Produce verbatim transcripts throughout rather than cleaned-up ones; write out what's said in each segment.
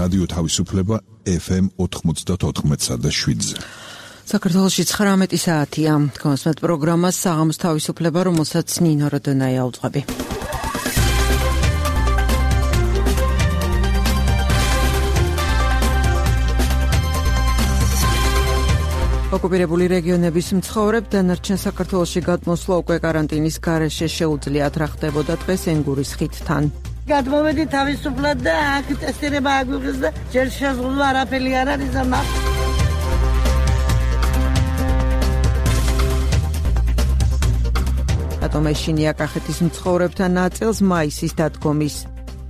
რადიო თავისუფლება ეფ ემ ოთხმოცდაოთხ და შვიდზე. საქართველოში ცხრამეტი საათია. გასმეთ პროგრამას საღამოს თავისუფლება, რომელსაც ნინო როდონაია უძღვები. ოკუპირებული რეგიონების მცხოვრებ დანარჩენ საქართველოში გადმოსვლა უკვე კარანტინის გარეშე შეუძლიათ, რა ხდებოდა დღეს ენგურის ხიდთან. გადმოვედი თავისუფლად და აქ ტესტირება აგვიღეს და ჯერ შეზღუდვა არაფერი არ არის ამა. ატომეშინია კახეთის მცხოვრებთან ნაწილს მაისის დადგომის.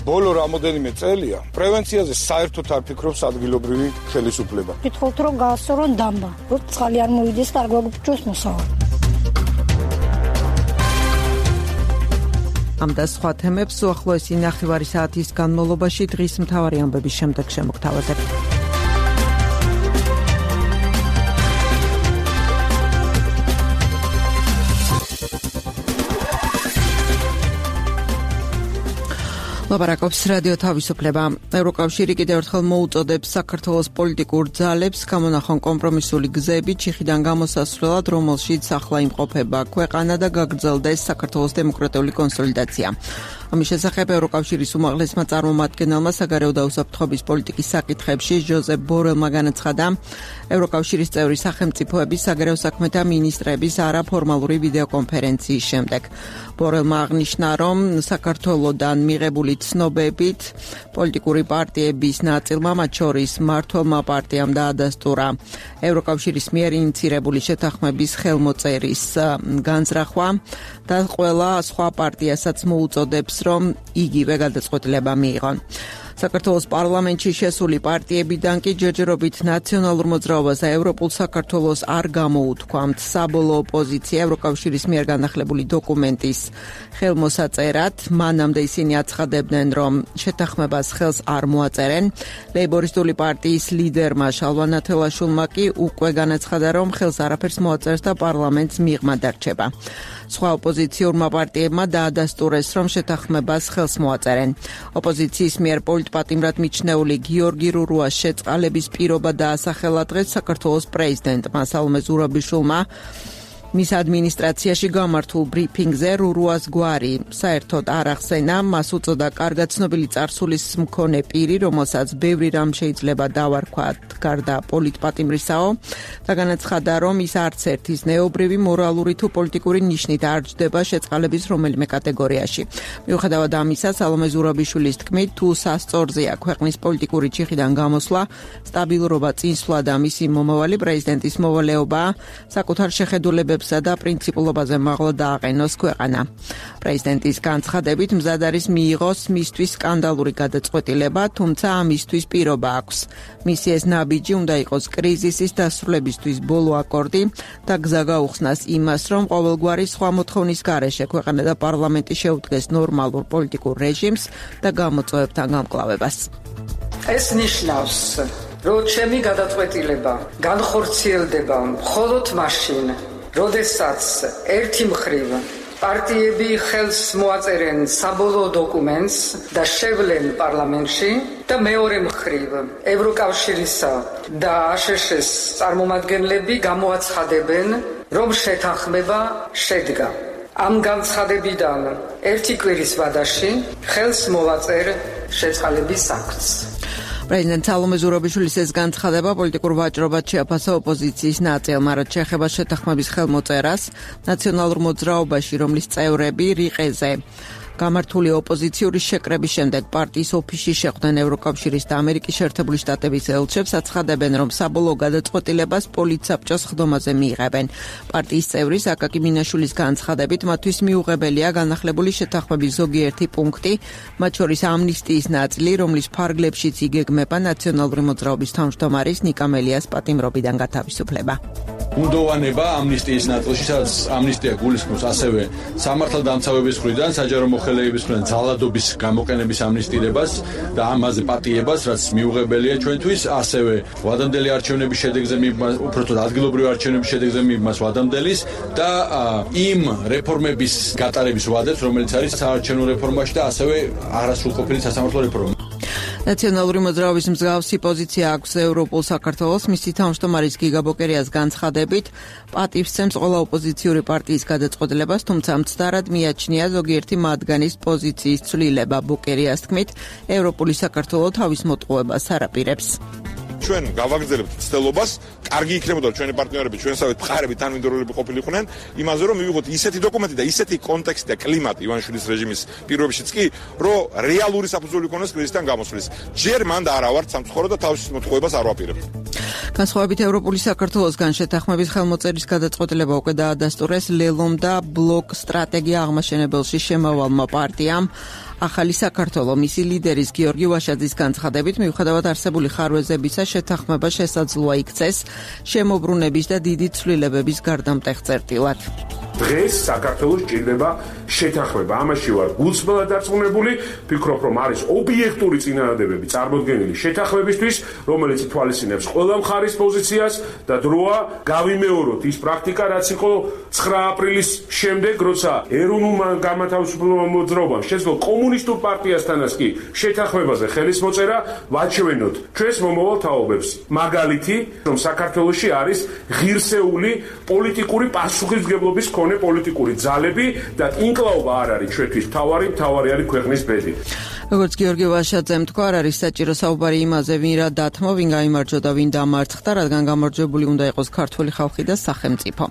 ბოლო რამოდენიმე წელია პრევენციაზე საერთოდ არ ფიქრობს ადგილობრივი ხელისუფლება. გითხოთ რომ გაასწორონ დამბა, რომ წყალი არ მოვიდეს, კარგ გვაგვიჩვენოს მოსავალი. ამ და სხვა თემებს უახლოესი ნახევარი საათის განმავლობაში დღის მთავარი ამბების შემდეგ შემოგთავაზებთ. ლაპარაკობს რადიო თავისუფლება. ევროკავშირი კიდევ ერთხელ მოუწოდებს საქართველოს პოლიტიკურ ძალებს გამონახონ კომპრომისული გზები ჩიხიდან გამოსასვლელად, რომელშიც ახლა იმყოფება ქვეყანა და გაგრძელდეს საქართველოს დემოკრატიული კონსოლიდაცია. ამის შესახებ ევროკავშირის უმაღლესმა წარმომადგენელმა საგარეო და უსაფრთხოების პოლიტიკის საკითხებში ჟოზეფ ბორელმა განაცხადა, ევროკავშირის წევრი სახელმწიფოების საგარეო საქმეთა მინისტრების არაფორმალური ვიდეოკონფერენციის შემდეგ. ბორელმა აღნიშნა, რომ საქართველოდან მიღებული ცნობებით პოლიტიკური პარტიების ნაწილმა, მათ შორის მმართველმა პარტიამ დაადასტურა ევროკავშირის მიერ ინიცირებული შეთანხმების ხელმოწერის განზრახვა და ყველა სხვა პარტიასაც მოუწოდებს, რომ იგივე გადაწყვეტილება მიიღონ. საქართველოს პარლამენტში შესული პარტიებიდან კი ჯერჯერობით ნაციონალურ მოძრაობას და ევროპულ საქართველოს არ გამოუთქვამთ საბოლოო პოზიცია ევროკავშირის მიერ განახლებული დოკუმენტის ხელმოსაწერად. მანამდე ისინი აცხადებდნენ, რომ შეთანხმებას ხელს არ მოაწერენ. ლეიბორისტული პარტიის ლიდერმა შალვა ნათელაშვილმა კი უკვე განაცხადა, რომ ხელს არაფერს მოაწერს და პარლამენტს მიღმა დარჩება. სხვა ოპოზიციურმა პარტიებმა დაადასტურეს, რომ შეთანხმებას ხელს მოაწერენ. ოპოზიციის მიერ პოლიტპატიმრად მიჩნეული გიორგი რურუას შეწყალების პირობა დაასახელა დღეს საქართველოს პრეზიდენტმა სალომე ზურაბიშვილმა. მის ადმინისტრაციაში გამართულ ბრიფინგზე რურუას გვარი საერთოდ არ ახსენა, მას უწოდა კარგად ცნობილი წარსულის მქონე პირი, რომელსაც ბევრი რამ შეიძლება დავარქვათ გარდა პოლიტპატიმრისაო და განაცხადა, რომ ის არც ერთი ზნეობრივი, მორალური თუ პოლიტიკური ნიშნით არ ჯდება შეწყალების რომელიმე კატეგორიაში. მიუხედავად ამისა, სალომე ზურაბიშვილის თქმით, თუ სასწორზეა ქვეყნის პოლიტიკური ჩიხიდან გამოსვლა, სტაბილურობა წინსვლა და მისი მომავალი პრეზიდენტის მოვალეობა საკუთარ შეხედულებებს და პრინციპულობაზე მაღლა დააყენოს ქვეყანა. პრეზიდენტის განცხადებით მზად არის მიიღოს მისთვის სკანდალური გადაწყვეტილება, თუმცა ამისთვის პირობა აქვს. მისი ეს ნაბიჯი უნდა იყოს კრიზისის დასრულებისთვის ბოლო აკორდი და გზა გაუხსნას იმას, რომ ყოველგვარი სხვა მოთხოვნის გარეშე ქვეყანა და პარლამენტი შეუდგეს ნორმალურ პოლიტიკურ რეჟიმს და გამოწვევებთან გამკლავებას. ეს ნიშნავს, რომ ჩემი გადაწყვეტილება განხორციელდება მხოლოდ მაშინ, როდესაც ერთი მხრივ პარტიები ხელს მოაწერენ საბოლოო დოკუმენტს და შევლენ პარლამენტში და მეორე მხრივ ევროკავშირისა და აშშ-ის წარმომადგენლები გამოაცხადებენ, რომ შეთანხმება შედგა. ამ განცხადებიდან ერთი კვირის ვადაში ხელს მოვაწერ შეწყალების აქტს. პრეზიდენტ სალომე ზურაბიშვილის ეს განცხადება პოლიტიკურ ვაჭრობად შეაფასა ოპოზიციის ნაწილმა, რაც შეეხება შეთანხმების ხელმოწერას ნაციონალურ მოძრაობაში, რომლის წევრები რიყეზე გამართული ოპოზიციური შეკრების შემდეგ პარტიის ოფისში შეხვდნენ ევროკავშირის და ამერიკის შეერთებული შტატების ელჩებს, აცხადებენ, რომ საბოლოო გადაწყვეტილებას პოლიტსაბჭოს ხდომაზე მიიღებენ. პარტიის წევრის აკაკი მინაშვილის განცხადებით, მათთვის მიუღებელია განახლებული შეთანხმების ზოგიერთი პუნქტი, მათ შორის ამნისტიის ნაწილი, რომლის ფარგლებშიც იგეგმება ნაციონალური მოძრაობის თავმჯდომარის ნიკა მელიას პატიმრობიდან გათავისუფლება. უდოვანება ამნისტიის ნაწილში, სადაც ამნისტია გულისხმობს ასევე სამართალდამცავების მხრიდან საჯარო მოხელეების მხრიდან ძალადობის გამოყენების ამნისტირებას და ამაზე პატიებას, რაც მიუღებელია ჩვენთვის, ასევე ვადამდელი არჩევნების შედეგზე მიბმას, უბრალოდ ადგილობრივი არჩევნების შედეგზე მიბმას ვადამდელის და იმ რეფორმების გატარების ვადებს, რომელიც არის საარჩევნო რეფორმაში და ასევე არასრულყოფილი სასამართლო რეფორმა. ნაციონალური მოძრაობის მსგავსი პოზიცია აქვს ევროპულ საქართველოს. მისი თავმჯდომარის გიგა ბოკერიას განცხადებით პატივსცემს ყველა ოპოზიციური პარტიის გადაწყვეტილებას, თუმცა მცდარად მიაჩნია ზოგიერთი მათგანის პოზიციის ცვლილება. ბოკერიას თქმით, ევროპული საქართველო თავის მოტყუებას არ აპირებს. ჩვენ გავაგრძელებთ ცდელობას, კარგი იქნებოდა ჩვენი პარტნიორები, ჩვენსავით მხარები თანმიმდევრულები ყოფილიყვნენ, იმაზე რომ მივიღოთ ისეთი დოკუმენტი და ისეთი კონტექსტი და კლიმატი ივანიშვილის რეჟიმის პირობებშიც კი, რომ რეალური საფუძველი იქონოს კრიზისიდან გამოსვლის. ჯერ მანდ არა ვართ სამცხურო და თავის მოტყუებას არ ვაპირებთ. განსხვავებით ევროპული საქართველოსგან შეთანხმების ხელმოწერის გადაწყვეტილება უკვე დაადასტურეს ლელომ და ბლოკ სტრატეგია აღმაშენებელში შემავალმა პარტიამ. ახალი საქართველო მისი ლიდერის გიორგი ვაშაძის განცხადებით მიუხედავად არსებული ხარვეზებისა შეთანხმება შესაძლოა იქცეს შემოbrunების და დიდი ცვლილებების გარდამტეხ წერტილად. დღეს საქართველოს ჭირდება შეთანხმება. ამაში ვარ გულწრფელად დარწმუნებული, ვფიქრობ, რომ არის ობიექტური წინადადებები წარმოდგენილი შეთანხმებისთვის, რომელიც ითვალისწინებს ყველა მხარის პოზიციას და დროა გავიმეოროთ ის პრაქტიკა, რაც იყო ცხრა აპრილის შემდეგ, როცა ეროვნულმა განმათავისუფლებელმა მოძრაობამ შეძლო კომუნისტურ პარტიასთანაც კი შეთანხმებაზე ხელის მოწერა, ვაჩვენოთ ჩვენს მომავალ თაობებს. მაგალითი, რომ საქართველოში არის ღირსეული პოლიტიკური პასუხისმგებლობის პოლიტიკური ძალები და ინკლაობა არ არის ჩვენთვის თავარი, თავარი არის ქვეყნის ბედი. როგორც გიორგი ვაშაძემ თქვა, არ არის საჭირო საუბარი იმაზე, ვინ რა დათმო, ვინ გაიმარჯვა და ვინ დამარცხდა, რადგან გამარჯვებული უნდა იყოს ქართული ხალხი და სახელმწიფო.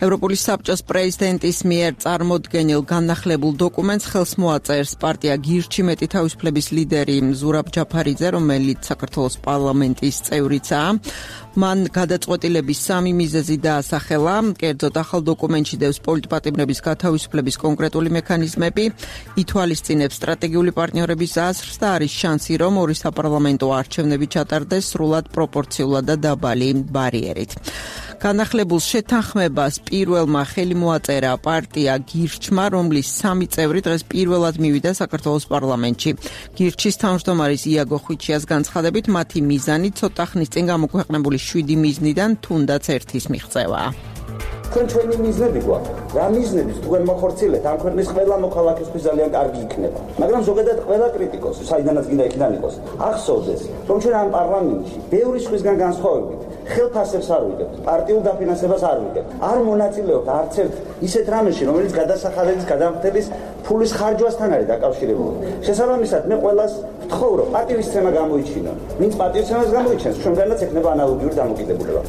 ევროპული საბჭოს პრეზიდენტის მიერ წარმოდგენილ განახლებულ დოკუმენტს ხელს მოაწერს პარტია გირჩი მეტი თავისუფლების ლიდერი ზურაბ ჯაფარიძე, რომელიც საქართველოს პარლამენტის წევრიცაა. მან გადაწყვეტილების სამი მიზეზი დაასახელა. კერძოდ, ახალ დოკუმენტში დევს პოლიტპატიმრების გათავისუფლების კონკრეტული მექანიზმები, ითვალისწინებს სტრატეგიული პარტნიორების აზრს და არის შანსი, რომ ორი საპარლამენტო არჩევნები ჩატარდეს სრულად პროპორციულად და დაბალი ბარიერით. განახლებულ შეთანხმებას პირველმა ხელი მოაწერა პარტია გირჩმა, რომლის სამი წევრი დღეს პირველად მივიდა საქართველოს პარლამენტში. გირჩის თავმჯდომარის იაგო ხვიჩიას განცხადებით, მათი მიზანი ცოტა ხნის წინ გამოქვეყნებული შვიდი მიზნიდან თუნდაც ერთის მიღწევაა. ჩვენ ჩვენი მიზნები გვაქვს. რა მიზნებს თქვენ მოხორციელებთ, ამ ქვეყნის ყველა მოქალაქისთვის ძალიან კარგი იქნება. მაგრამ ზოგადად ყველა კრიტიკოსი, საიდანაც გინდა იქიდან იყოს, ახსოვდეს, რომ ჩვენ ამ პარლამენტში ბევრი სხვისგან განსხვავებით ხელფასებს არ ვიგებთ, პარტიულ დაფინანსებას არ ვიგებთ. არ მონაწილეობთ არც ერთ ისეთ რამეში, რომელიც გადასახადების, გადამხდების ფულის ხარჯვასთან არის დაკავშირებული. შესაბამისად, მე ყველას ვთხოვ, რომ პატივისცემა გამოიჩინონ. ვინც პატივისცემას გამოიჩენს, ჩვენგანაც ექნება ანალოგიური დამოკიდებულება.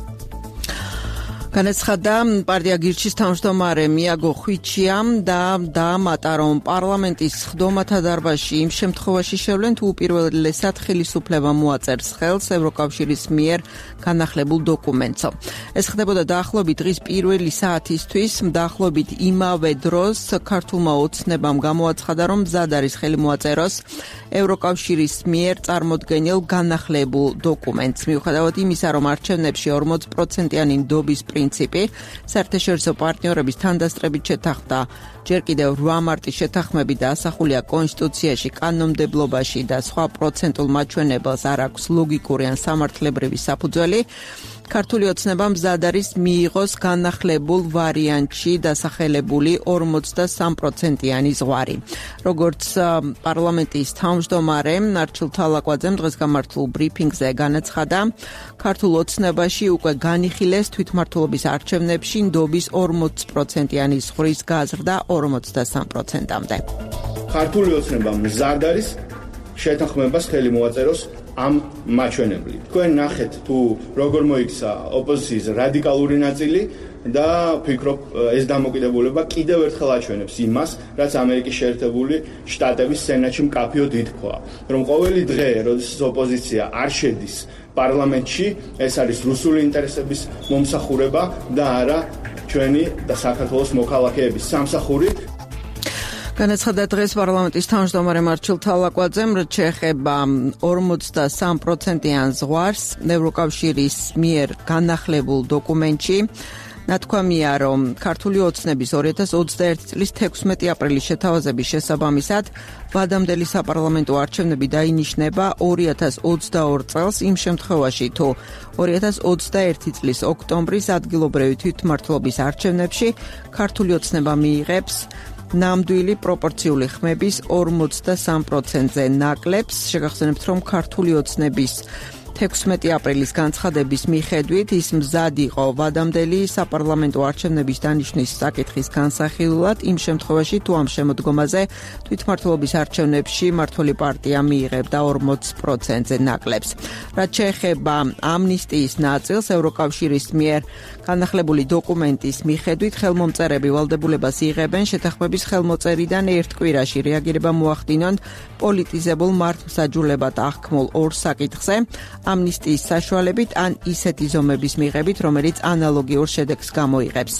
განაცხადა პარტია გირჩის თავმჯდომარე მიაგო ხვიჩიამ და დაამატა, რომ პარლამენტის ხდომათა დარბაზში იმ შემთხვევაში შევლენ, თუ უპირველესად ხელისუფლება მოაწერს ხელს ევროკავშირის მიერ განახლებულ დოკუმენტს. ეს ხდებოდა დაახლოებით დღის პირველი საათისთვის. დაახლოებით იმავე დროს ქართულმა ოცნებამ გამოაცხადა, რომ მზად არის ხელი მოაწეროს ევროკავშირის მიერ წარმოდგენილ განახლებულ დოკუმენტს. მიუხედავად იმისა, რომ არჩევნებში ორმოც პროცენტიანი ნდობის პრინციპი საერთაშორისო პარტნიორების თანდასწრებით შეთანხმდა. ჯერ კიდევ რვა მარტის შეთანხმები დაასახულია კონსტიტუციაში, კანონმდებლობაში და სხვა პროცენტულ მაჩვენებელს არ აქვს ლოგიკური ან სამართლებრივი საფუძველი. ქართული ოცნება მზად არის მიიღოს განახლებულ ვარიანტში დასახელებული ორმოცდასამ პროცენტიანი ზღვარი. როგორც პარლამენტის თავმჯდომარე არჩილ თალაკვაძემ დღეს გამართულ ბრიფინგზე განაცხადა, ქართულ ოცნებაში უკვე განიხილეს თვითმმართველობის არჩევნებში ნდობის ორმოც პროცენტიანი ზღვრის გაზრდა ორმოცდასამ პროცენტამდე. ქართული ოცნება მზად არის შეთანხმებას ხელი მოაწეროს ამ მაჩვენებლით. თქვენ ნახეთ თუ როგორ მოიქცა ოპოზიციის რადიკალური ნაწილი და ვფიქრობ ეს დამოკიდებულება კიდევ ერთხელ აჩვენებს იმას, რაც ამერიკის შეერთებული შტატების სენატში მკაფიოდ ითქვა, რომ ყოველი დღე, როდესაც ოპოზიცია არ შედის პარლამენტში, ეს არის რუსული ინტერესების მომსახურება და არა ჩვენი და საქართველოს მოქალაქეების სამსახური. განაცხადა დღეს პარლამენტის თავმჯდომარე არჩილ თალაკვაძემ, რაც შეეხება ორმოცდასამ პროცენტიან ზღვარს ევროკავშირის მიერ განახლებულ დოკუმენტში. ნათქვამია, რომ ქართული ოცნების ორი ათას ოცდაერთი წლის თექვსმეტი აპრილის შეთავაზების შესაბამისად ვადამდელი საპარლამენტო არჩევნები დაინიშნება ორი ათას ოცდაორ წელს იმ შემთხვევაში, თუ ორი ათას ოცდაერთი წლის ოქტომბრის ადგილობრივი თვითმმართველობის არჩევნებში ქართული ოცნება მიიღებს ნამდვილი პროპორციული ხმების ორმოცდასამ პროცენტზე ნაკლებს. შეგახსენებთ, რომ ქართული ოცნების თექვსმეტი აპრილის განცხადების მიხედვით ის მზად იყო ვადამდელი საპარლამენტო არჩევნების დანიშვნის საკითხის განსახილულად იმ შემთხვევაში, თუ ამ შემოდგომაზე თვითმმართველობის არჩევნებში მმართველი პარტია მიიღებდა ორმოც პროცენტზე ნაკლებს. რაც შეეხება ამნისტიის ნაწილს, ევროკავშირის მიერ განახლებული დოკუმენტის მიხედვით ხელმომწერები ვალდებულებას იღებენ შეთანხმების ხელმოწერიდან ერთ კვირაში რეაგირება მოახდინონ პოლიტიზებულ მართლმსაჯულებად აღქმულ ორ საკითხზე, ამნისტიის საშუალებით ან ისეთი ზომების მიღებით, რომელიც ანალოგიურ შედეგს გამოიღებს.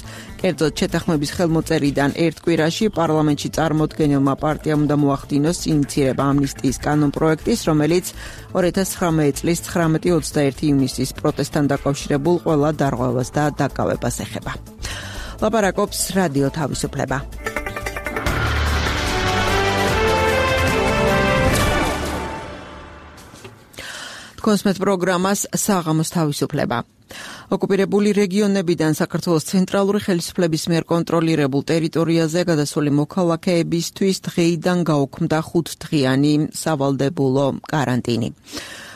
კერძოდ, შეთანხმების ხელმოწერიდან ერთ კვირაში პარლამენტში წარმოდგენილმა პარტიამ უნდა მოახდინოს ინიციირება ამნისტიის კანონპროექტის, რომელიც ორი ათას ცხრამეტი წლის ცხრამეტი ოცდაერთი ივნისის პროტესტთან დაკავშირებულ ყველა დარღვევას და დაკავებას ეხება. ლაპარაკობს რადიო თავისუფლება. კონსმეთ პროგრამას საღამოს თავისუფლება. ოკუპირებული რეგიონებიდან საქართველოს ცენტრალური ხელისუფლების მიერ კონტროლირებულ ტერიტორიაზე გადასული მოქალაქეებისთვის დღეიდან გაუქმდა ხუთდღიანი სავალდებულო კარანტინი.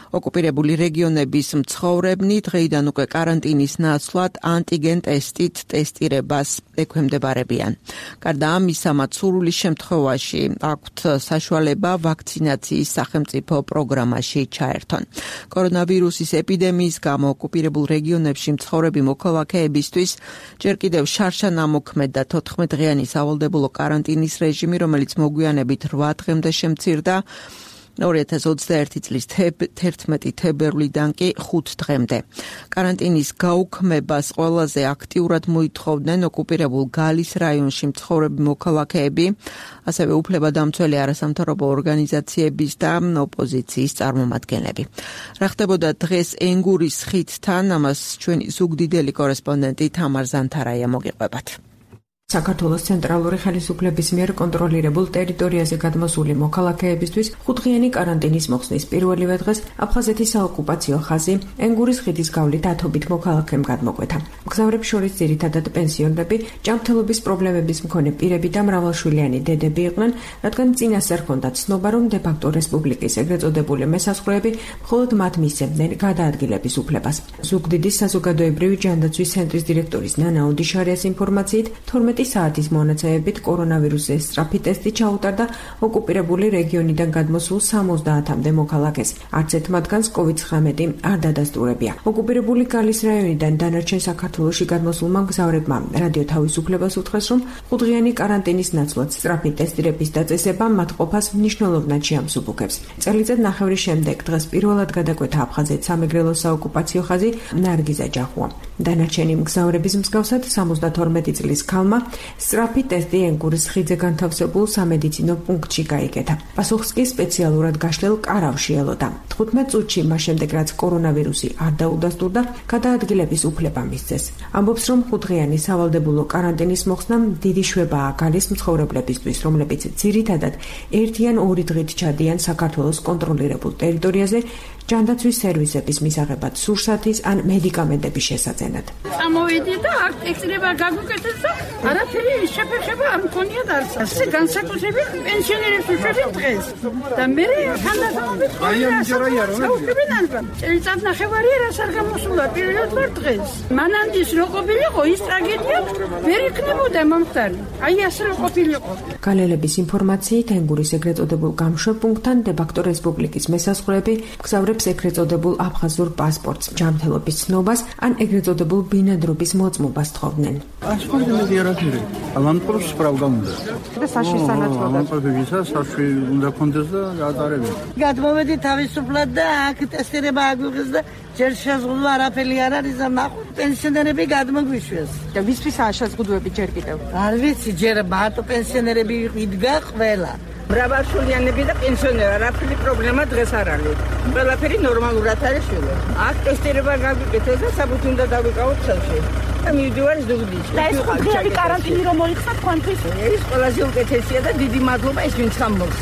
ოკუპირებული რეგიონების მცხოვრებნი დღეიდან უკვე კარანტინის ნაცვლად ანტიგენ ტესტით ტესტირებას ექვემდებარებიან. გარდა ამისა, მათ სურვილის შემთხვევაში აქვთ საშუალება ვაქცინაციის სახელმწიფო პროგრამაში ჩაერთონ. კორონავირუსის ეპიდემიის გამო ოკუპირებულ რეგიონებში მცხოვრები მოქალაქეებისთვის ჯერ კიდევ შარშან ამოქმედა და თოთხმეტდღიანი სავალდებულო კარანტინის რეჟიმი, რომელიც მოგვიანებით რვა დღემდე შემცირდა. ორი ათას ოცდაერთი წლის თერთმეტი თებერვლიდან კი ხუთ დღემდე. კარანტინის გაუქმებას ყველაზე აქტიურად მოითხოვდნენ ოკუპირებულ გალის რაიონში მცხოვრები მოქალაქეები, ასევე უფლებადამცველი არასამთავრობო ორგანიზაციების და ოპოზიციის წარმომადგენლები. რა ხდებოდა დღეს ენგურის ხიდთან, ამას ჩვენი ზუგდიდელი კორესპონდენტი თამარ ზანთარაია მოგიყვებათ. საქართველოს ცენტრალური ხელისუფლების მიერ კონტროლირებულ ტერიტორიაზე გადმოსული მოქალაქეებისთვის ხუთდღიანი კარანტინის მოხსნის პირველივე დღეს აფხაზეთის საოკუპაციო ხაზი ენგურის ხიდის გავლით ათობით მოქალაქემ გადმოკვეთა. მგზავრებს შორის ძირითადად პენსიონერები, ჯანმრთელობის პრობლემების მქონე პირები და მრავალშვილიანი დედები იყვნენ, რადგან წინასწარ ჰქონდათ ცნობა, რომ დე-ფაქტო რესპუბლიკის ეგრეთ წოდებული მესაზღვრეები მხოლოდ მათ მისცემდნენ გადაადგილების უფლებას. ზუგდიდის საზოგადოებრივი ჯანდაცვის ცენტრის დირექტორის ნანა ოდიშარიას ინფორმაციით, თორმეტი საათის მონაცემებით კორონავირუსის სწრაფი ტესტი ჩაუტარდა ოკუპირებული რეგიონიდან გადმოსულ სამოცდაათამდე მოქალაქეს. არც ერთ მათგანს კოვიდ ცხრამეტი არ დადასტურებია. ოკუპირებული გალის რაიონიდან დანარჩენ საქართველოში გადმოსულმა მგზავრებმა რადიო თავისუფლებას უთხრეს, რომ ხუთდღიანი კარანტინის ნაცვლად სწრაფი ტესტირების დაწესება მათ ყოფას მნიშვნელოვნად შეამსუბუქებს. წელიწად ნახევრის შემდეგ დღეს პირველად გადაკვეთა აფხაზეთ სამეგრელოს საოკუპაციო ხაზი ნარგიზა ჯახუა. დანარჩენი მგზავრების მსგავსად სამოცდათორმეტი წლის ქალმა სწრაფი ტესტი ენგურის ხიდზე განთავსებულ სამედიცინო პუნქტში გაიგეთა. პასუხს კი სპეციალურად გაშლილ კარავში ელოდა. თხუთმეტ წუთში მას შემდეგ, რაც კორონავირუსი არ დაუდასტურდა, გადაადგილების უფლება მისცეს. ამბობს, რომ ხუთდღიანი სავალდებულო კარანტინის მოხსნამ დიდი შვებაა გალის მცხოვრებლებისთვის, რომლებიც ძირითადად ერთი ან ორი დღით ჩადიან საქართველოს კონტროლირებულ ტერიტორიაზე ჯანდაცვის სერვისების მისაღებად სურსათის ან მედიკამენტების შესაძენად. წამოვიდი და აქ ტესტირება გაგვიკეთეს და არაფერი შეფერხება არ მქონია არც. ასე განსაკუთრებით პენსიონერებს უშვებენ დღეს. და მე თანასწორობით ყოველდღე წელიწად ნახევარი რას არ გამოსულა პირველად ვარ დღეს. მანანდის რო ყოფილიყო ის ტრაგედია ვერ იქნებოდა მომხდარი. აი ასე რო ყოფილიყო. გალელების ინფორმაციით ენგურის ეგრეთ წოდებულ გამშვებ პუნქტთან დე-ფაქტო რესპუბლიკის მესაზღვრეები მგზავრებს ეგრეთ წოდებულ აფხაზურ პასპორტს, ჯანმრთელობის ცნობას ან ეგრეთ წოდებულ ბინადრობის მოწმობას თხოვდნენ. ასფალტი არაფერი. ალანპროს სპრავდა უნდა. და საში სანაცვლოდ. ალანპრობისა საშვი უნდა კონდეს და გაატარებინ. გადმოვედი თავისუფლად და აქ ტესტირება აგვიღეს და ჯერ შეზღუდვა არაფერი არ არის და ნახოთ პენსიონერები გადმოგვიშვეს. და ვისთვისაა შეზღუდვები ჯერ კიდევ? არ ვიცი, ჯერ მარტო პენსიონერები იდგა ყველა. მრავალშვილიანები და პენსიონერი არაფერი პრობლემა დღეს არ არის. ყველაფერი ნორმალურად არის შვილო. აქ ტესტირება გაგვიკეთეს და საბუთი უნდა დავიკავოთ ხელში. და მივდივარ ზუგდიდში. და ეს ხუთდღიანი კარანტინი რომ მოიხსნა თქვენთვის? ეს ყველაზე უკეთესია და დიდი მადლობა ეს ვინც ამბობს.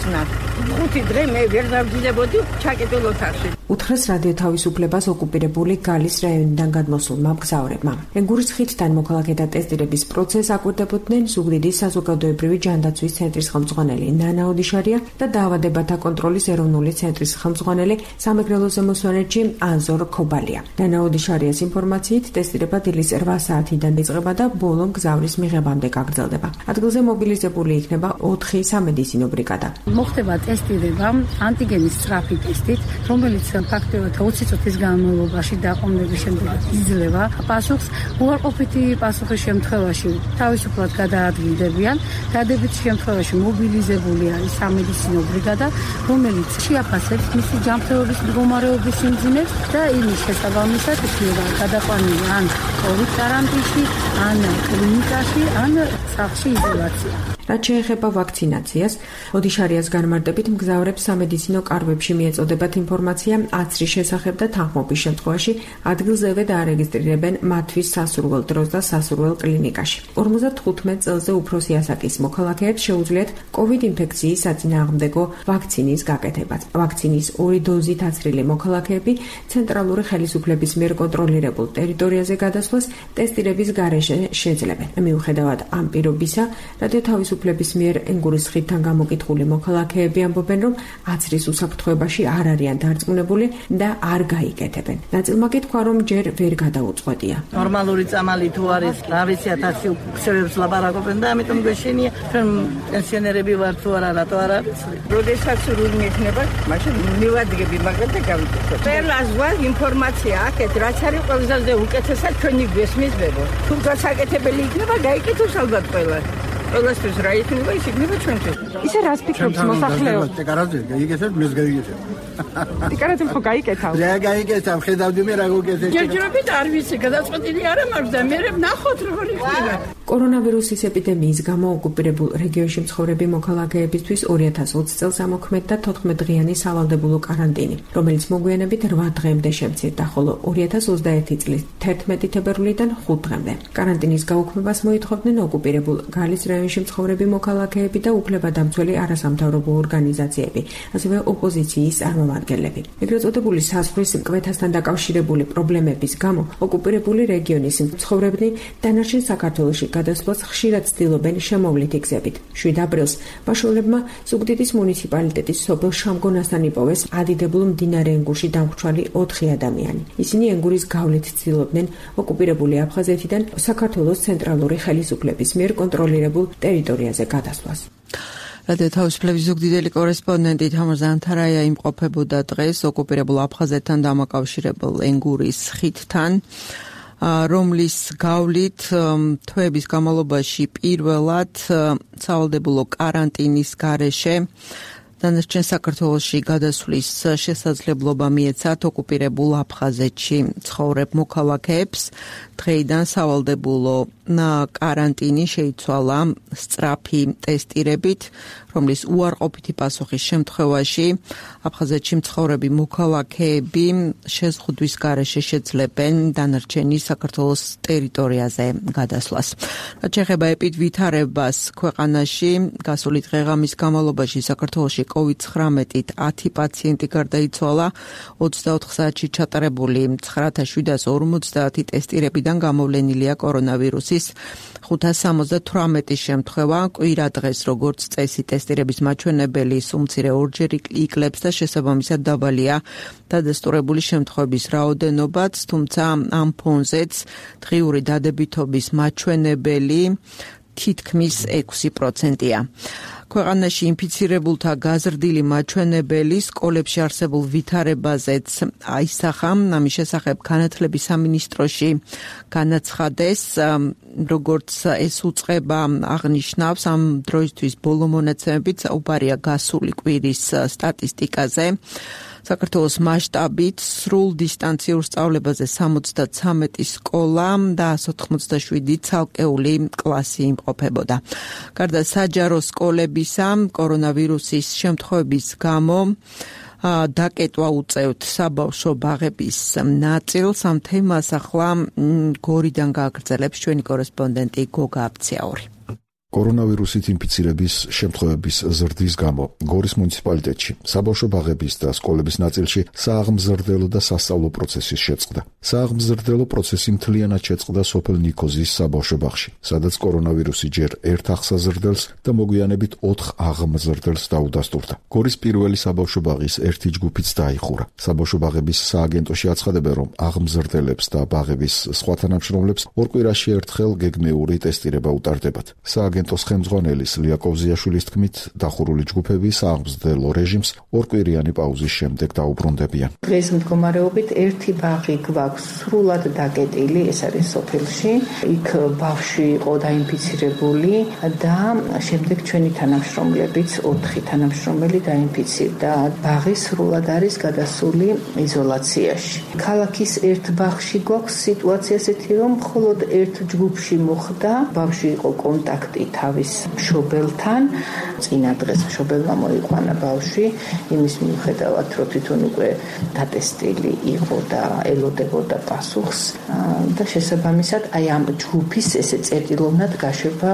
ხუთი დღე მე ვერ დავძლებოდი ჩაკეტილ ოთახში. უთხრეს რადიო თავისუფლებას ოკუპირებული გალის რაიონიდან გადმოსულმა მგზავრებმა. ენგურის ხიდთან მოქალაქეთა ტესტირების პროცესს აკვირდებოდნენ ზუგდიდის საზოგადოებრივი ჯანდაცვის ცენტრის ხელმძღვანელი ნანა ოდიშარია და დაავადებათა კონტროლის ეროვნული ცენტრის ხელმძღვანელი სამეგრელოზე მოსვენეთში ანზორ ქობალია. ნანა ოდიშარიას ინფორმაციით ტესტირება დილის რვა საათიდან იწყება და ბოლო მგზავრის მიღებამდე გაგრძელდება. ადგილზე მობილიზებული იქნება ოთხი სამედიცინო ბრიგადა. მოხდება ტესტირება ანტიგენის სწრაფი ტესტით, რომელიც ფაქტობრივად ოცი წუთის განმავლობაში დაყოვნების შემდეგ იძლევა პასუხს. უარყოფითი პასუხის შემთხვევაში თავისუფლად გადაადგილდებიან. დადებითი შემთხვევაში მობილიზებული არის სამედიცინო ბრიგადა, რომელიც შეაფასებს მისი ჯანმრთელობის მდგომარეობის სიმძიმეს და იმის შესაბამისად იქნება გადაყვანილი ან კოვიდ კარანტინში, ან კლინიკაში, ან სახლში იზოლაცია. რაც შეეხება ვაქცინაციას, ოდიშარიას განმარტებით მგზავრებს სამედიცინო კარგვებში მიეწოდებათ ინფორმაცია აცრის შესახებ და თანხმობის შემთხვევაში ადგილზევე დაარეგისტრირებენ მათთვის სასურველ დროს და სასურველ კლინიკაში. ორმოცდათხუთმეტ წელზე უფროსი ასაკის მოქალაქეებს შეუძლიათ კოვიდ ინფექციის საწინააღმდეგო ვაქცინის გაკეთებაც. ვაქცინის ორი დოზით აცრილი მოქალაქეები ცენტრალური ხელისუფლების მიერ კონტროლირებულ ტერიტორიაზე გადასვლას ტესტირების გარეშე შეძლებენ. მიუხედავად ამ პირობისა, რადიო თავისუფლების მიერ ენგურის ხიდთან გამოკითხული მოქალაქეები ამბობენ, რომ აცრის უსაფრთხოებაში არ არიან დარწმუნებული და არ გაიკეთებენ. ნაწილმა კითხვა, რომ ჯერ ვერ გადაუწყვეტია. ნორმალური წამალი თუ არის, რა ვიცი, ათასი უხსევებს ლაპარაკობენ და ამიტომ გვეშინია, ჩვენ პენსიონერები ვარ თუ არა, რატო არ არის? როდესაც სურვილი მექნება, მაშინ მივადგები მაგათ და გავიკეთებ. ყველას ვარ ინფორმაცია აქეთ, რაც არის ყველაზე უკეთესად ჩვენი გვესმის ბებო. თუ გასაკეთებელი იქნება, გაიკეთოს ალბათ ყველა. ყველასთვის რა იქნება, ის იქნება ჩვენთვის. ისე რას ფიქრობს მოსახლეობა? ტეკარაზე გაიგეთებ, მეს გაიგეთებ. ტეკარაზე ხო გაიკეთავ? რა გაიკეთავ, ხედავდი მე რა გოგეთე. ჯერჯერობით არ ვიცი, გადაწყვეტილი არ მაქვს და მე ვნახოთ როგორ იქნება. კორონავირუსის ეპიდემიის გამო ოკუპირებულ რეგიონში მცხოვრები მოქალაქეებისთვის ორი ათას ოცი წელს ამოქმედდა თოთხმეტ დღიანი სავალდებულო კარანტინი, რომელიც მოგვიანებით რვა დღემდე შემცირდა, ხოლო ორი ათას ოცდაერთი წლის თერთმეტი თებერვლიდან ხუთ დღემდე. კარანტინის გაუქმებას მოითხოვდნენ ოკუპირებულ გალის რაიონში მცხოვრები მოქალაქეები და უფლებადამცველი არასამთავრობო ორგანიზაციები, ასევე ოპოზიციის წარმომადგენლები. ეგრეთ წოდებული საზღვრის მკვეთრასთან დაკავშირებული პრობლემების გამო ოკუპირებული რეგიონის მცხოვრებნი დანარჩენ საქართველოში გადასვლას ხშირად ცდილობენ შემოვლითი გზებით. შვიდ აპრილს ბაშოვლებმა ზუგდიდის მუნიციპალიტეტის სოფელ შამგონასთან იპოვეს ადიდებულ მდინარე ენგურში დამხრჩვალი ოთხი ადამიანი. ისინი ენგურის გავლით ცდილობდნენ ოკუპირებული აფხაზეთიდან საქართველოს ცენტრალური ხელისუფლების მიერ კონტროლირებულ ტერიტორიაზე გადასვლას. რადიო თავისუფლების ზუგდიდელი კორესპონდენტი თამარ ზანთარაია იმყოფებოდა დღეს ოკუპირებულ აფხაზეთთან დამაკავშირებულ ენგურის ხიდთან, რომლის გავლით თვეების განმავლობაში პირველად სავალდებულო კარანტინის გარეშე დანარჩენ საქართველოში გადასვლის შესაძლებლობა მიეცათ ოკუპირებულ აფხაზეთში ცხოვრებ მოქალაქეებს. დღეიდან სავალდებულო კარანტინი შეიცვალა სწრაფი ტესტირებით, რომლის უარყოფითი პასუხის შემთხვევაში აფხაზეთში მცხოვრები მოქალაქეები შეზღუდვის გარეშე შეძლებენ დანარჩენი საქართველოს ტერიტორიაზე გადასვლას. რაც შეეხება ეპიდვითარებას ქვეყანაში, გასული დღე-ღამის განმავლობაში საქართველოში კოვიდ ცხრამეტით ათი პაციენტი გარდაიცვალა, ოცდაოთხ საათში ჩატარებული ცხრა ათას შვიდას ორმოცდაათი ტესტირებიდან გამოვლენილია კორონავირუსის ხუთას სამოცდათვრამეტი შემთხვევა. კვირა დღეს როგორც წესი ტესტირების მაჩვენებელი სუმცირე ორჯერ იკლებს და შესაბამისად დაბალია დადასტურებული შემთხვევების რაოდენობაც, თუმცა ამ ფონზეც დღიური დადებითობის მაჩვენებელი თითქმის ექვსი პროცენტია. ქვეყანაში ინფიცირებულთა გაზრდილი მაჩვენებელი სკოლებში არსებულ ვითარებაზეც აისახა. ამის შესახებ განათლების სამინისტროში განაცხადეს, როგორც ეს უწყება აღნიშნავს, ამ დროისთვის ბოლო მონაცემებით საუბარია გასული კვირის სტატისტიკაზე. საქართველოს მასშტაბით სრულ დისტანციურ სწავლებაზე სამოცდათვრამეტი სკოლა და ასი ოცდაშვიდი ცალკეული კლასი იმყოფებოდა. გარდა საჯარო სკოლებისა, კორონავირუსის შემთხვევების გამო დაკეტვა უწევთ საბავშვო ბაღების ნაწილს. ამ თემას ახლა გორიდან გააგრძელებს ჩვენი კორესპონდენტი გოგა აბციაური. კორონავირუსით ინფიცირების შემთხვევების ზრდის გამო გორის მუნიციპალიტეტში საბავშვო ბაღების და სკოლების ნაწილში სააღმზრდელო და სასწავლო პროცესის შეწყდა. სააღმზრდელო პროცესი მთლიანად შეწყდა სოფელ ნიქოზის საბავშვო ბაღში, სადაც კორონავირუსი ჯერ ერთ აღსაზრდელს და მოგვიანებით ოთხ აღმზრდელს დაუდასტურდა. გორის პირველი საბავშვო ბაღის ერთი ჯგუფიც დაიხურა. საბავშვო ბაღების სააგენტოში აცხადებენ, რომ აღმზრდელებს და ბაღების სხვა თანამშრომლებს ორ კვირაში ერთხელ გეგმიური ტესტირება utარდებათ. სააგენტოს ხელმძღვანელის ლიაკოვზიაშვილის თქმით, დახურული ჯგუფები სააღმზრდელო რეჟიმს ორკვირიანი პაუზის შემდეგ დაუბრუნდებიან. დღეს მდგომარეობით ერთი ბაღი გვაქვს სრულად დაკეტილი, ეს არის სოფელში. იქ ბავშვი იყო დაინფიცირებული და შემდეგ ჩვენი თანამშრომლებიც ოთხი თანამშრომელი დაინფიცირდა. ბაღი სრულად არის გადასული იზოლაციაში. ქალაქის ერთ ბაღში გვაქვს სიტუაცია ესეთი, რომ მხოლოდ ერთ ჯგუფში მოხდა, ბავშვი იყო კონტაქტი თავის მშობელთან. წინა დღეს მშობელმა მოიყვანა ბავშვი, იმის მიუხედავად, რომ თვითონ უკვე დატესტილი იყო და ელოდებოდა პასუხს და შესაბამისად აი ამ ჯგუფის ესე წერტილოვნად გაშვება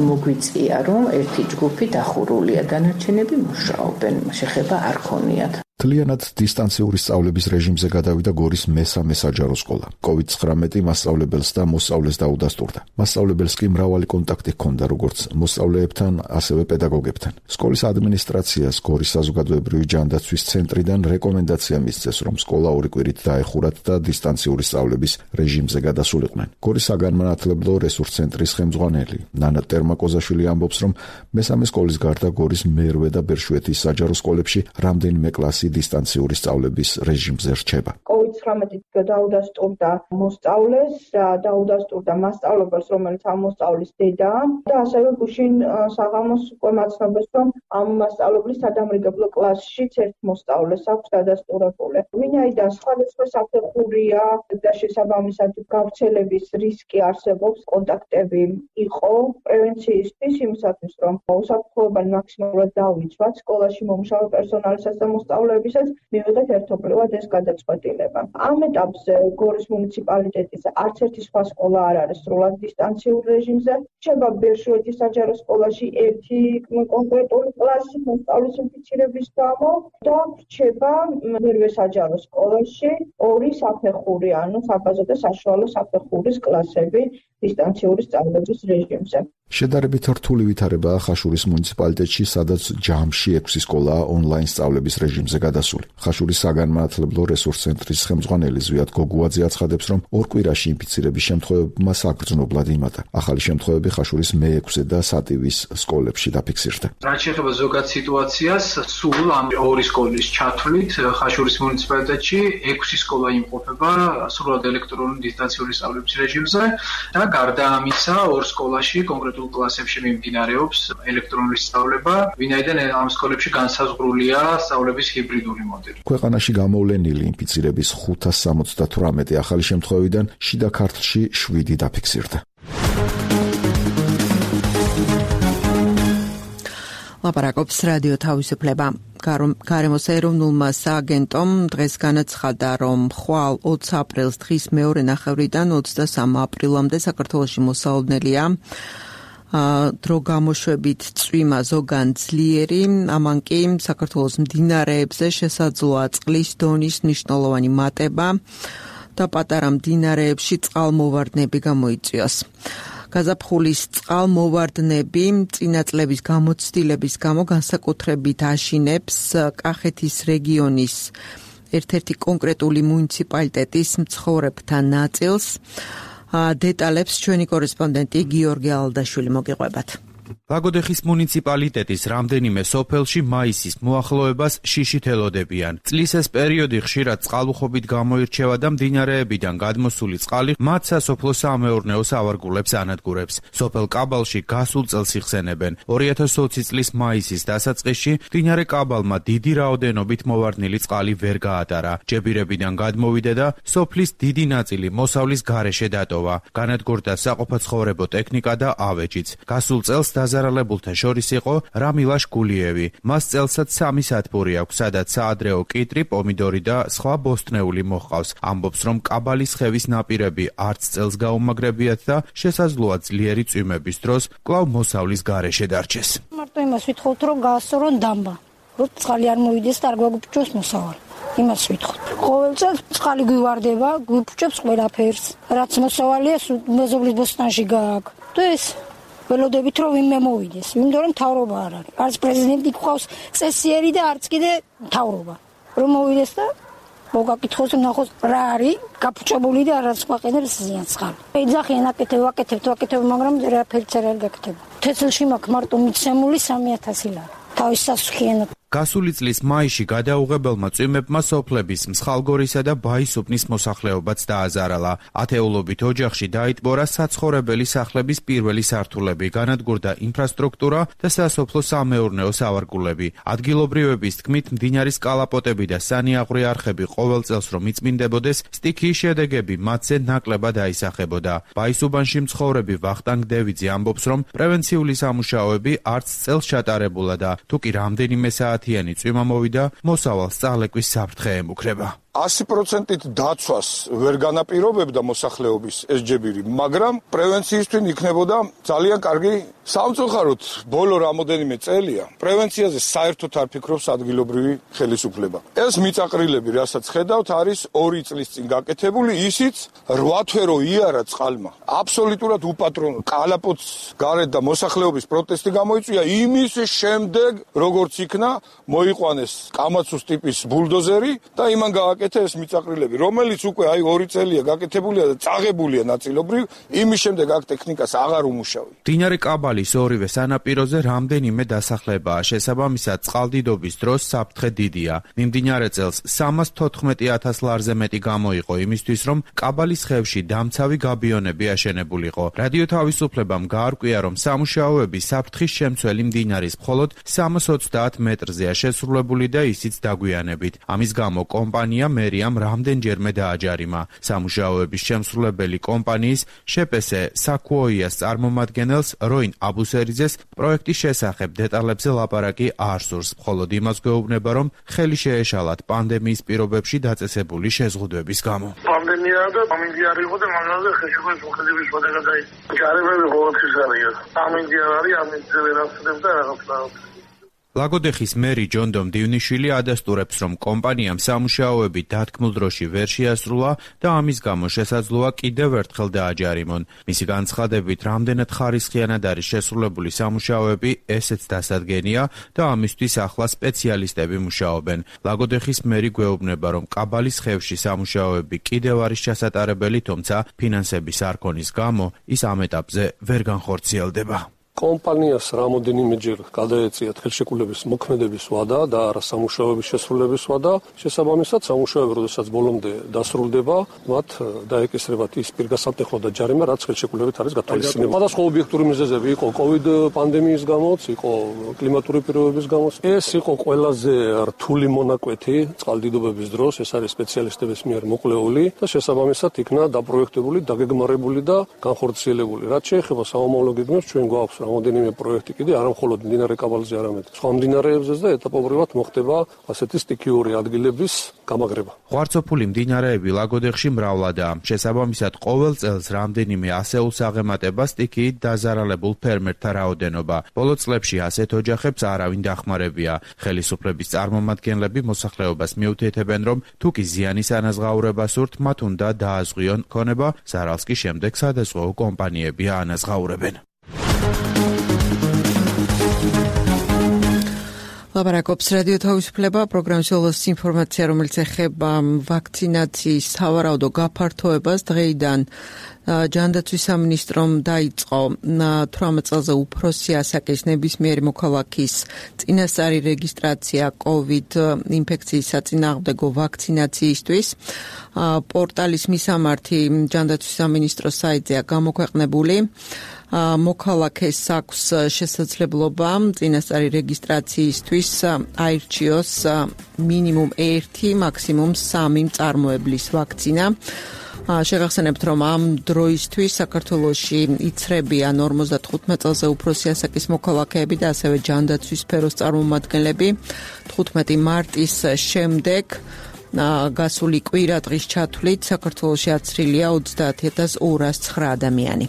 მოგვიწია, რომ ერთი ჯგუფი დახურულია, დანარჩენები მუშაობენ, შეხება არ ქონიათ. მთლიანად დისტანციური სწავლების რეჟიმზე გადავიდა გორის მესამე საჯარო სკოლა. კოვიდ ცხრამეტი მასწავლებელს და მოსწავლეს დაუდასტურდა. მასწავლებელს კი მრავალი კონტაქტი ჰქონდა როგორც მოსწავლეებთან, ასევე პედაგოგებთან. სკოლის ადმინისტრაციას გორის საზოგადოებრივი ჯანდაცვის ცენტრიდან რეკომენდაცია მისცეს, რომ სკოლა ორი კვირით დაეხურათ და დისტანციური სწავლების რეჟიმზე გადასულიყვნენ. გორის საგანმანათლებლო რესურს ცენტრის ხელმძღვანელი ნანა ტერმაკოზაშვილი ამბობს, რომ მესამე სკოლის გარდა გორის მერვე და ბერშვეთის საჯარო სკოლებში რამდენიმე კლასი დისტანციური სწავლების რეჟიმზე რჩება. კოვიდ ცხრამეტი დაუდასტურდა მოსწავლეს და დაუდასტურდა მასწავლებელს, რომელიც ამ მოსწავლის დედაა და ასევე გუშინ საღამოს უკვე მაცნობეს, რომ ამ მასწავლებლის სადამრიგებლო კლასშიც ერთ მოსწავლეს აქვს დადასტურებული. ვინაიდან სხვადასხვა საფეხურია და შესაბამისად გავრცელების რისკი არსებობს, კონტაქტები იყო პრევენციისთვის, იმისათვის, რომ უსაფრთხოებანი მაქსიმალურად დავიცვათ სკოლაში მომუშავე პერსონალისაც და მოსწავლეებს მივიღეთ ერთობლივად ეს გადაწყვეტილება. ამ ეტაპზე გორის მუნიციპალიტეტის არც ერთი სხვა სკოლა არ არის სრულად დისტანციურ რეჟიმზე. რჩება ბერშვეთის საჯარო სკოლაში ერთი კონკრეტული კლასი მოსწავლის ინფიცირების გამო და რჩება მერვე საჯარო სკოლაში ორი საფეხური, ანუ საბაზო და საშუალო საფეხურის კლასები დისტანციური სწავლების რეჟიმზე. შედარებით რთული ვითარებაა ხაშურის მუნიციპალიტეტში, სადაც ჯამში ექვსი სკოლაა ონლაინ სწავლების რეჟიმზე გადასული. ხაშურის საგანმანათლებლო რესურს ცენტრის ხელმძღვანელი ზვიად გოგუაძე აცხადებს, რომ ორ კვირაში ინფიცირების შემთხვევებმა საგრძნობლად იმატა. ახალი შემთხვევები ხაშურის მეექვსე და სატივის სკოლებში დაფიქსირდა. რაც შეეხება ზოგად სიტუაციას, სულ ამ ორი სკოლის ჩათვლით ხაშურის მუნიციპალიტეტში ექვსი სკოლა იმყოფება სრულად ელექტრონული დისტანციური სწავლების რეჟიმზე და გარდა ამისა ორ სკოლაში კონკრეტულ კლასებში მიმდინარეობს ელექტრონული სწავლება, ვინაიდან ამ სკოლებში განსაზღვრულია სწავლების ჰიბრიდული მოდელი. ქვეყანაში გამოვლენილი ინფიცირების ხუთას სამოცდათვრამეტი ახალი შემთხვევიდან შიდა ქართლში შვიდი დაფიქსირდა. ლაპარაკობს რადიო თავისუფლება. გარემოს ეროვნულმა სააგენტომ დღეს განაცხადა, რომ ხვალ ოცი აპრილს დღის მეორე ნახევრიდან ოცდასამი აპრილამდე საქართველოში მოსალოდნელია დრო გამოშვებით წვიმა ზოგან ძლიერი, ამან კი საქართველოს მდინარეებზე შესაძლოა წყლის დონის მნიშვნელოვანი მატება და პატარა მდინარეებში წყალმოვარდნები გამოიწვიოს. გაზაფხულის წყალმოვარდნები წინა წლების გამოცდილების გამო განსაკუთრებით აშინებს კახეთის რეგიონის ერთ-ერთი კონკრეტული მუნიციპალიტეტის მცხოვრებთა ნაწილს. დეტალებს ჩვენი კორესპონდენტი გიორგი ალდაშვილი მოგიყვებათ. ლაგოდეხის მუნიციპალიტეტის რამდენიმე სოფელში მაისის მოახლოებას შიშით ელოდებიან. წლის ეს პერიოდი ხშირად წყალუხობით გამოირჩევა და მდინარეებიდან გადმოსული წყალი მათ სასოფლო-სამეურნეო სავარგულებს ანადგურებს. სოფელ კაბალში გასულ წელს იხსენებენ. ორი ათას ოცი წლის მაისის დასაწყისში მდინარე კაბალმა დიდი რაოდენობით მოვარდნილი წყალი ვერ გაატარა. ჯებირებიდან გადმოვიდა და სოფლის დიდი ნაწილი მოსავლის გარეშე დატოვა. განადგურდა საყოფაცხოვრებო ტექნიკა და ავეჯიც. გასულ წელს დაზარალებულთა შორის იყო რამილაშ გულიევი. მას წელსაც სამი სათბური აქვს, სადაც საადრეო კიტრი, პომიდორი და სხვა ბოსტნეული მოჰყავს. ამბობს, რომ კაბალის ხევის ნაპირები არც წელს გაუმაგრებიათ და შესაძლოა ძლიერი წვიმების დროს კვლავ მოსავლის გარეშე დარჩეს. მარტო იმას ვითხოვთ, რომ გაასწორონ დამბა, რომ წყალი არ მოვიდეს და არ გვაგუფრჩოს მოსავალი. იმას ვითხოვთ. ყოველ წელს წყალი გვივარდება, გვიფრჩებს ყველაფერს. რაც მოსავალია, მეზობლის ბოსტნაში გააქვს. და ეს ველოდებით რომ ვინმე მოვიდეს, იმიტომ რომ მთავრობა არ არის. არც პრეზიდენტი გვყავს წესიერი და არც კიდე მთავრობა. რომ მოვიდეს და მოგაკითხოს ნახოს რა არის გაფუჭებული და არც გვაყენებს ზიანს ხარ. ეძახიან აკეთებ, აკეთებ, აკეთებ, მაგრამ რაფერიც არ გაკეთება. თესლში მაქვს მარტო მიცემული სამი ათასი ლარი. თავის სასუქიანად. გასული წლის მაისში გადაუღებელმა წვიმებმა სოფლების მსხალგორისა და ბაისუბნის მოსახლეობაც დააზარალა. ათეულობით ოჯახში დაიტბორა საცხოვრებელი სახლების პირველი სართულები, განადგურდა ინფრასტრუქტურა და სასოფლო-სამეურნეო სავარგულები. ადგილობრივების თქმით, მდინარის კალაპოტები და სანიაღვრე არხები ყოველ წელს რომ იწმინდებოდეს, სტიქიის შედეგები მათზე ნაკლებად აისახებოდა. ბაისუბანში მცხოვრები ვახტანგ დევიძე ამბობს, რომ პრევენციული სამუშაოები არც წელს ჩატარებულა და თუკი რამდენიმე საათიანი წვიმა მოვიდა, მოსავალ სწავლეკვის საფრთხე ემუქრება. ასი პროცენტით დაცვას ვერ განაპირობებდა მოსახლეობის ეს ჯებირი, მაგრამ პრევენციისთვის იქნებოდა ძალიან კარგი. სამწუხაროდ, ბოლო რამოდენიმე წელია პრევენციაზე საერთოდ არ ფიქრობს ადგილობრივი ხელისუფლება. ეს მიწაყრილები, რასაც ხედავთ, არის ორი წლის წინ გაკეთებული, ისიც რვა თვე რო იარა წყალმა. აბსოლუტურად უპატრონო. კალაპოტს გარეთ და მოსახლეობის პროტესტი გამოიწვია, იმის შემდეგ როგორც იქნა მოიყვანეს კამაცუს ტიპის ბულდოზერი და იმან გააკეთა ეს მიწაყრილები, რომელიც უკვე აი ორი წელია გაკეთებულია და წაღებულია ნაწილობრივ, იმის შემდეგ აქ ტექნიკას აღარ უმუშავია. მდინარე კაბალის ორივე სანაპიროზე რამდენიმე დასახლებაა, შესაბამისად წყალდიდობის დროს საფრთხე დიდია. მიმდინარე წელს სამას თოთხმეტი ათას ლარზე მეტი გამოიყო იმისთვის, რომ კაბალის ხევში დამცავი გაბიონები აშენებულიყო. რადიო თავისუფლებამ გაარკვია, რომ სამუშაოები საფრთხის შემცველი მდინარის მხოლოდ სამას ოცდაათ მეტრზეა შესრულებული და ისიც დაგვიანებით. ამის გამო კომპანია მერიამ რამდენჯერმე დააჯარიმა. სამუშაოების შემსრულებელი კომპანიის შეპესე საკუოიას წარმომადგენელს როინ აბუსერიძეს პროექტის შესახებ დეტალებზე ლაპარაკი არ სურს, მხოლოდ იმას გვეუბნება, რომ ხელი შეეშალათ პანდემიის პირობებში დაწესებული შეზღუდვების გამო. პანდემია და ამინდი არ იყო და მაგაზე ხელშეკრულების მოხდების შედეგად აი ჯარებები ყოველთვის არიან. ამინდი არ არის, ამინდზე ვერ ახსნებდა რაღაცა. ლაგოდეხის მერი ჯონდომ დივნიშვილი ადასტურებს, რომ კომპანიამ სამუშაოები დათქმულ დროში ვერ შეასრულა და ამის გამო შესაძლოა კიდევ ერთხელ დააჯარიმონ. მისი განცხადებით, რამდენად ხარისხიანად არის შესრულებული სამუშაოები, ესეც დასადგენია და ამისთვის ახლა სპეციალისტები მუშაობენ. ლაგოდეხის მერი გვეუბნება, რომ კაბალის ხევში სამუშაოები კიდევ არის ჩასატარებელი, თუმცა ფინანსების არ ქონის გამო ის ამ ეტაპზე ვერ განხორციელდება. კომპანიას რამოდენიმეჯერ გადაეწიათ ხელშეკრულების მოქმედების ვადა და არა სამუშაოების შესრულების ვადა. შესაბამისად, სამუშაოები, როდესაც ბოლომდე დასრულდება, მათ დაეკისრებათ ის პირგასამტეხო და ჯარიმა, რაც ხელშეკრულებით არის გათვალისწინებული. სხვადასხვა ობიექტური მიზეზები იყო კოვიდ პანდემიის გამოც, იყო კლიმატური პირობების გამოც. ეს იყო ყველაზე რთული მონაკვეთი წყალდიდობების დროს, ეს არის სპეციალისტების მიერ მოკვლეული და შესაბამისად იქნა დაპროექტებული, დაგეგმარებული და განხორციელებული. რაც შეეხება სამომავლო გეგმებს, ჩვენ გვაქვს რამოდენიმე პროექტი კიდე არა მხოლოდ მდინარე კაბალზე, არამედ სხვა მდინარეებზეც და ეტაპობრივად მოხდება ასეთი სტიქიური ადგილების გამაგრება. ღვარცოფული მდინარეები ლაგოდეხში მრავლადაა. შესაბამისად, ყოველ წელს რამდენიმე ასეულს აღემატება სტიქიით დაზარალებულ ფერმერთა რაოდენობა. ბოლო წლებში ასეთ ოჯახებს არავინ დახმარებია. ხელისუფლების წარმომადგენლები მოსახლეობას მიუთითებენ, რომ თუკი ზიანის ანაზღაურება სურთ, მათ უნდა დააზღვიონ ქონება, ზარალს კი შემდეგ სადაზღვეო კომპანიები აანაზღაურებენ. ლაპარაკობს რადიო თავისუფლება, პროგრამის ოლოს ინფორმაცია, რომელიც ეხება ვაქცინაციის სავარაუდო გაფართოებას. დღეიდან ჯანდაცვის სამინისტრომ დაიწყო თვრამეტ წელზე უფროსი ასაკის ნებისმიერი მოქალაქის წინასწარი რეგისტრაცია კოვიდ ინფექციის საწინააღმდეგო ვაქცინაციისთვის. პორტალის მისამართი ჯანდაცვის სამინისტროს საიტზეა გამოქვეყნებული. მოქალაქეს აქვს შესაძლებლობა წინასწარი რეგისტრაციისთვის აირჩიოს მინიმუმ ერთი, მაქსიმუმ სამი მწარმოებლის ვაქცინა. შეგახსენებთ, რომ ამ დროისთვის საქართველოში იცრებიან ორმოცდათხუთმეტ წელზე უფროსი ასაკის მოქალაქეები და ასევე ჯანდაცვის სფეროს წარმომადგენლები. თხუთმეტი მარტის შემდეგ გასული კვირა დღის ჩათვლით საქართველოში აცრილია ოცდაათი ათას ორას ცხრა ადამიანი.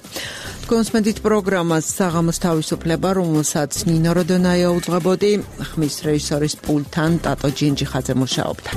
თქვენს მედით პროგრამას საღამოს თავისუფლება, რომელსაც ნინო როდონაია უძღვებოდი, ხმის რეჟისორის პულტთან ტატო ჯინჯიხაძე მუშაობდა.